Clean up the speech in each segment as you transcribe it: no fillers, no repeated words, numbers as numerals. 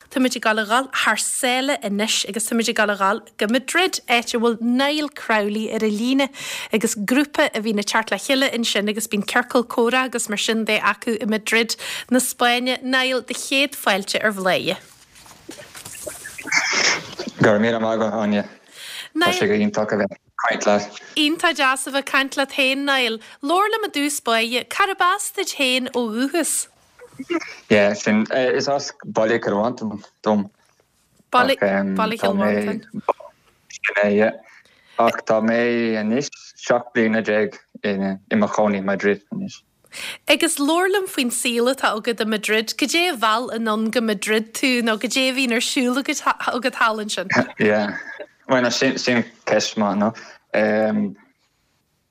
táimid ag gabháil a dhul thar sáile anois agus táimid ag gabháil a dhul go Madrid, áit a bhfuil Niall Crowley ar an líne agus grúpa a bhíonn ag teacht le chéile ansin agus bíonn ciorcal comhrá agus mar sin de acu i Madrid na Spáinne. Niall, do chéad fáilte ar Bhladhaire. Go raibh míle maith agat, Áine. Tá sé go hiontach a bheith ag caint leat. Iontach deas a bheith ag caint leat féin, Niall. Labhair liom i dtús báire, cárb as duit féin ó dhúchas? Yeah, sin, is as Baile Chill Mhantáin dom. Baile Chill Mhantáin. Sin é, yeah. Ach tá mé anois 17 bliana i mo chónaí i Madrid anois. Agus labhair liom faoin saol atá agat i Madrid. Cad é a mheall anonn go Madrid tú nó cad é a bhíonn ar siúl agat agat thall ansin? Yeah. Bueno, sin sin ceist maith, no? Um,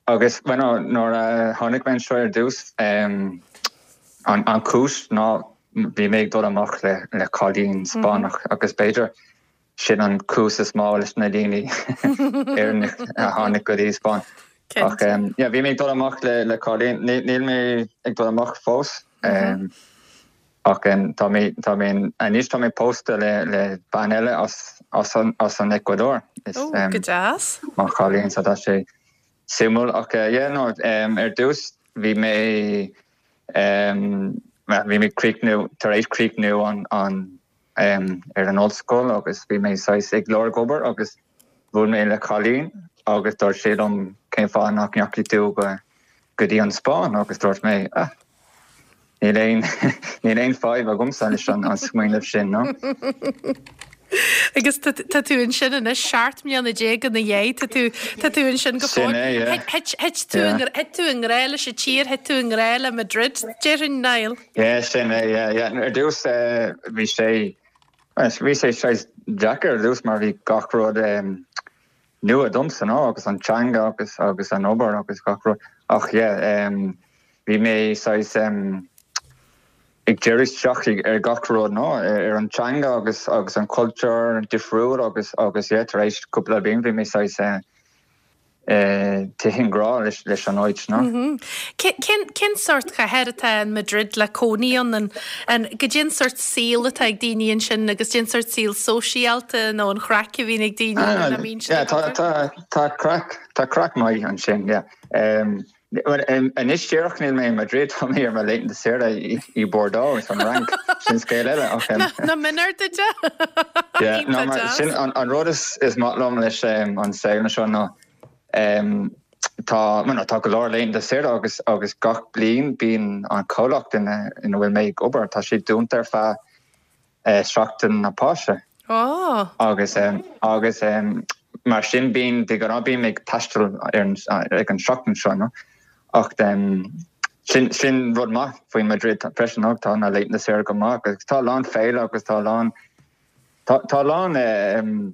agus bueno, nuair a tháinig mé anseo ar dtús, um, an, an cúis ná bhí mé ag dul amach le, le cailín Spáinneach agus b'fhéidir Sin an cúis is mó leis na daoine Éireannach a tháinig go dtí Spáinn. Ach yeah, bhí mé ag dul amach le le cailín, níl mé ag dul amach fós ach tá mé tá mé anois tá mé pósta le le bean eile as as an as an Ecuador. Is oh, go deas. Mo chailín so tá sé suimiúil ach yeah no ar dtús bhí mé bhí mé críochnú tar éis críochnú an an ar an ollscoil agus bhí mé saghas ag lorg obair agus bhuail mé le cailín agus dúirt sí liom cén fáth nach ndeachaigh tú go go dtí an Spáinn agus dúirt mé ah níl aon níl aon fadhb agamsa leis an an smaoineamh sin no. Agus tá tú ansin anois 17 mbliana ina dhiaidh, tá tú tá tú ansin go fóill. Sin é, yeah. Thit thit tú thit tú i ngrá leis an tír, thit tú i ngrá le Madrid, déarfainn, Niall. Yeah, sin é, yeah, yeah. Ar dtús bhí sé, bhí sé saghas deacair ar dtús mar bhí gach rud nua domsa, no, agus an teanga agus agus an obair agus gach rud. Ach yeah, bhí mé saghas ag díriú isteach ar gach rud, no, ar an teanga agus agus an cultúr difriúil agus agus yeah, tar éis cúpla bliain bhí mé saghas tite i ngrá leis an áit, no. Cén sórt cathair atá in Madrid le cónaí ann? An goidé an sórt saol atá ag daoine ansin agus goidé an sórt saol sóisialta nó an chraic a bhíonn ag daoine nach mbíonn siad ag obair? Tá craic, tá craic maith ansin, yeah. Anois díreach níl mé i Madrid, tá mé ar mo laethanta saoire i Bordeaux, san Fhrainc, sin scéal eile ach. Nach méanar duit é? Yeah, no mar sin an rud is maith liom leis an saol anseo ná tá, bueno, tá go leor laethanta saoire agus agus gach bliain bíonn an comhlacht ina ina bhfuil mé ag obair, tá sé dúnta ar feadh Seachtain na Páise. Oh. Agus agus mar sin bíonn de ghnáth bím ag taisteal ar an ag an seachtain seo no ach sin sin rud maith faoi Madrid freisin no tá na laethanta saoire go maith agus tá a lán féile agus tá a lán tá tá a lán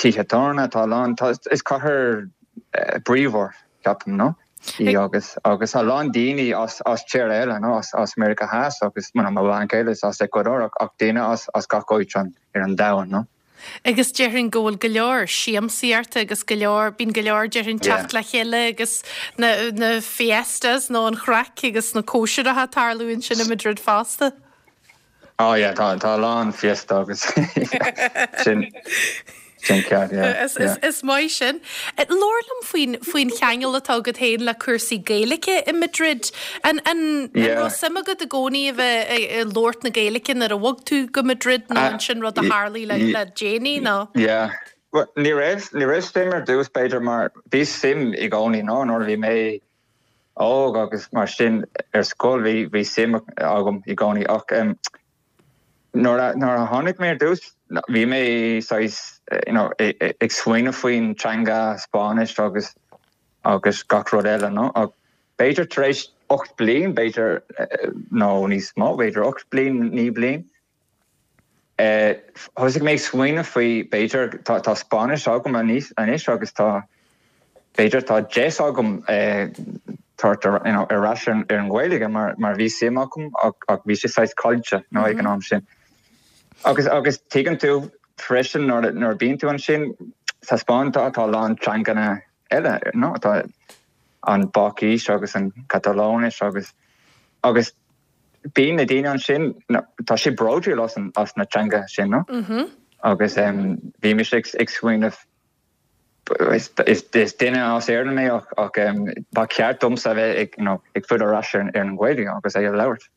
tithe tábhairne, tá a lán, tá, is cathair bríomhar, ceapaim, no? Í agus, agus a lán daoine as, as tíortha eile, no? As, as Meiriceá Theas agus, bueno, mo bhean chéile is as Ecuador ach, ach daoine as, as gach áit an, ar an domhan, no? Agus déarfainn go bhfuil go leor siamsaíochta agus go leor, bíonn go leor déarfainn teacht le chéile agus na, na fiestas nó an chraic agus na cóisireacha ag tarlú ansin i Madrid fosta. Oh yeah, tá tá a lán fiesta agus sin sin ceart, yeah, Is yeah. is maith sin. Labhair liom faoin faoin cheangal atá agat féin le cúrsaí Gaeilge i Madrid. An an an Yeah. raibh suim agat i gcónaí a bheith ag ag labhairt na Gaeilge nuair a bhog tú go Madrid nó an sin rud a tharlaigh le le déanaí nó? Yeah. Well, ní raibh ní raibh suim ar dtús b'fhéidir mar bhí suim i gcónaí no nuair a bhí mé óg agus mar sin ar scoil bhí bhí suim agam i gcónaí ach nuair a nuair a tháinig mé ar dtús bhí mé saghas you know ag smaoineamh faoin teanga Spáinnis agus agus gach rud eile no ach b'fhéidir tar éis 8 bliain b'fhéidir nó níos mó b'fhéidir 8 bliain 9 bliain Thosaigh mé ag smaoineamh faoi, b'fhéidir, tá Spáinnis agam anois agus tá, b'fhéidir tá deis agam tabhairt ar ais ar an Ghaeilge mar bhí suim agam ach bhí sé saghas caillte nó ag an am sin. Agus agus tuigeann tú freisin nuair nuair a bíonn tú ansin sa Spáinn tá tá a lán teanganna eile nó tá an Bhaiscis agus an Catalóinis agus agus. bíonn na daoine ansin, tá siad bródúil as an as na teanga sin, no? Agus bhí mise ag smaoineamh is is duine as Éirinn mé ach ach ba cheart domsa a bheith ag you know ag filleadh ar ais ar an Ghaeilge agus é a labhairt.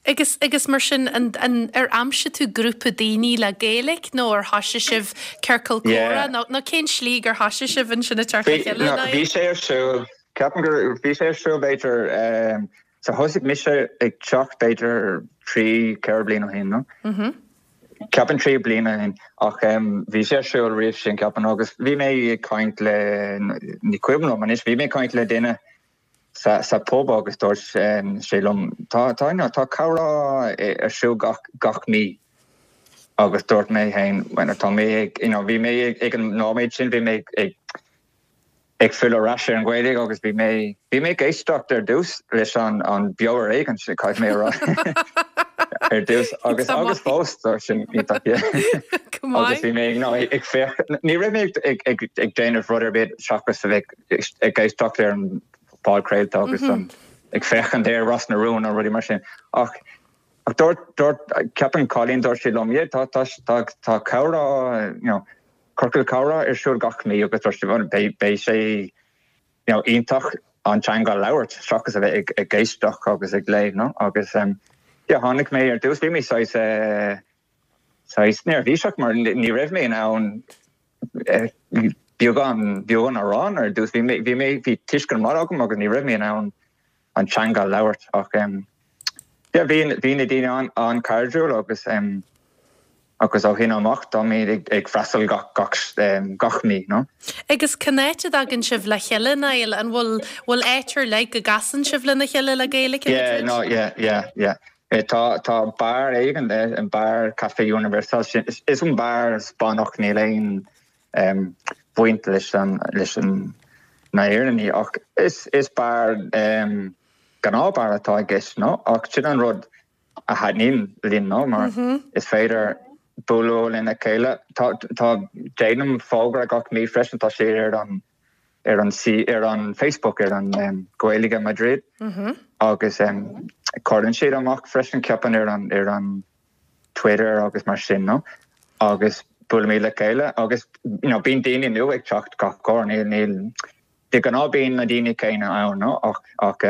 Agus agus mar sin an an ar aimsigh tú grúpa daoine le Gaeilge nó ar thoisigh sibh ciorcal comhrá nó nó cén slí gur thoisigh sibh ansin ag teacht le chéile? Bhí sé ar siúl, ceapaim gur bhí sé ar siúl b'fhéidir so thosaigh mise ag teacht b'fhéidir 3, 4 bliain ó shin nó? Ceapaim 3 bliana ó shin ach bhí sé ar siúl roimh sin ceapaim agus bhí mé ag caint le, ní cuimhin liom anois, bhí mé ag caint le duine sa sa pub agus dúirt sé liom tá tá you know tá comhrá ar siúl gach gach mí agus dúirt mé féin bueno tá mé ag you know bhí mé ag ag an nóiméad sin bhí mé ag ag filleadh ar ais ar an Ghaeilge agus bhí mé bhí mé ag éisteacht ar dtús leis an an Beo ar Éigean sin caithfidh mé a rá ar dtús agus agus fós tá sin iontach yeah agus bhí mé you know ag féach ní raibh mé ag ag ag déanamh rud ar bith seachas a bheith ag éisteacht ar an phodchraolta agus ag féachaint ar Ros na Rún nó rudaí mar sin. Ach dúirt, dúirt, ceapaim cailín, dúirt sí liom, yeah, tá, tá, tá, tá comhrá, you know, ciorcal comhrá ar siúl gach mí agus dúirt sí, bhuel, beidh, beidh sé, you know, iontach an teanga a labhairt seachas a bheith ag, ag éisteacht agus ag léamh, no? Agus, yeah, tháinig mé ar dtús, bhí mé saghas, eh, saghas neirbhíseach mar ní raibh mé in ann beagán beagán a rá ar dtús. Bhí mé bhí mé bhí tuiscint maith agam agus ní raibh mé in ann an teanga a labhairt ach yeah bhí bhí na daoine an an-chairdiúil agus agus ó shin amach táimid ag ag freastal gach gach gach mí no. Agus cén áit a dtagann sibh le chéile Niall? An bhfuil bhfuil áit ar leith go gcasann sibh lena chéile le Gaeilge i Yeah no yeah yeah yeah. Tá tá beár éigin, an beár Café Universal sin, is an beár Spáinneach, níl aon bhaint leis an leis an na Éireannaigh ach is is beár gnáth beár atá i gceist no ach sin an rud a thaitníonn linn no mar is féidir bualadh lena chéile. Tá tá déanaim fógra gach mí freisin, tá sé ar an ar an ar an Facebook ar an Gaeilge Madrid agus cuireann siad amach freisin ceapaim ar an ar an Twitter agus mar sin no agus buailimid le chéile agus you know bíonn daoine nua ag teacht gach uair níl níl de ghnáth bíonn na daoine céanna ann no ach ach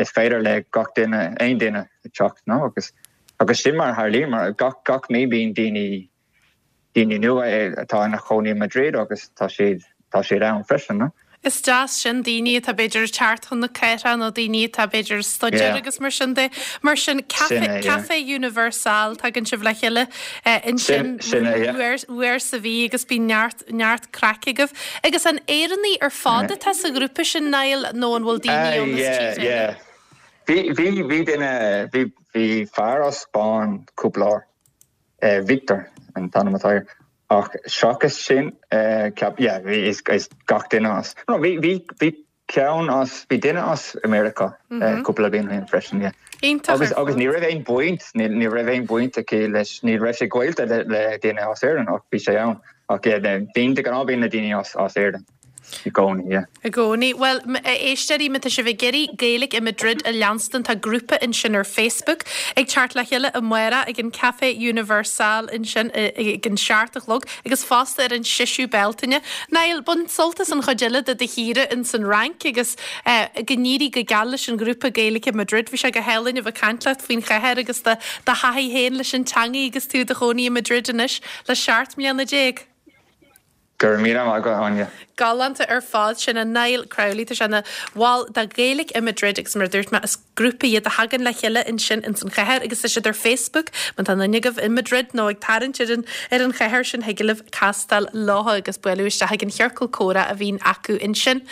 is féidir le gach duine aon duine teacht no agus agus sin mar a tharlaíonn mar gach gach mí bíonn daoine daoine nua atá ina chónaí i Madrid agus tá siad, tá siad ann freisin, no? Is deas sin, daoine atá b'fhéidir ag teacht chun na cathrach nó daoine atá b'fhéidir ag staidéar agus mar sin de. Mar sin, Café, Café Universal, tagann sibh le chéile ansin uair, uair sa mhí agus bíonn neart, neart craic agaibh. Agus an Éireannaigh ar fad atá sa ghrúpa sin, Niall, nó an bhfuil daoine ann as tíortha eile? Yeah, yeah. Bhí, bhí, bhí duine, bhí, bhí fear as Spáinn cúpla uair. Victor an t-ainm atá air. Ach seachas sin, ceap, yeah, bhí, is, is gach duine as, no, bhí, bhí, bhí ceann as, bhí duine as America cúpla bliain ó shin freisin, yeah. Iontach Agus, agus ní raibh aon bhaint, ní, ní raibh aon bhaint aici leis, ní raibh sé gaolta le, le duine as Éirinn ach bhí sé ann. Ach yeah, bíonn, de ghnáth bíonn na daoine as, as Éirinn. I gcónaí, yeah. I gcónaí. Bhuel, a éisteoirí, má tá sibh ag iarraidh Gaeilge i Madrid a leanstan, tá grúpa ansin ar Facebook ag teacht le chéile amárach ag an Café Universal ansin ag an seacht a chlog agus fosta ar an seisiú Bealtaine. Niall, bain sult as an chuid eile de do shaoire ins an Fhrainc agus go n-éirí go geal leis an ghrúpa Gaeilge i Madrid. Bhí sé go hálainn a bheith ag caint leat faoin chathair agus do thaithí féin leis an teangaidh agus tú i do chónaí i Madrid anois le 17 mbliana. Go raibh míle maith agat, Áine. Galánta ar fad. Sin é Niall Crowley. Tá sé ina bhall de Ghaeilge i Madrid agus mar a dúirt mé, is grúpa iad a thagann le chéile ansin ins an chathair agus tá siad ar Facebook. Má tá aon duine agaibh i Madrid nó ag tarraingt ar an ar an chathair sin thig libh castáil leo agus bualadh isteach ag an chiorcal comhrá a bhíonn acu ansin.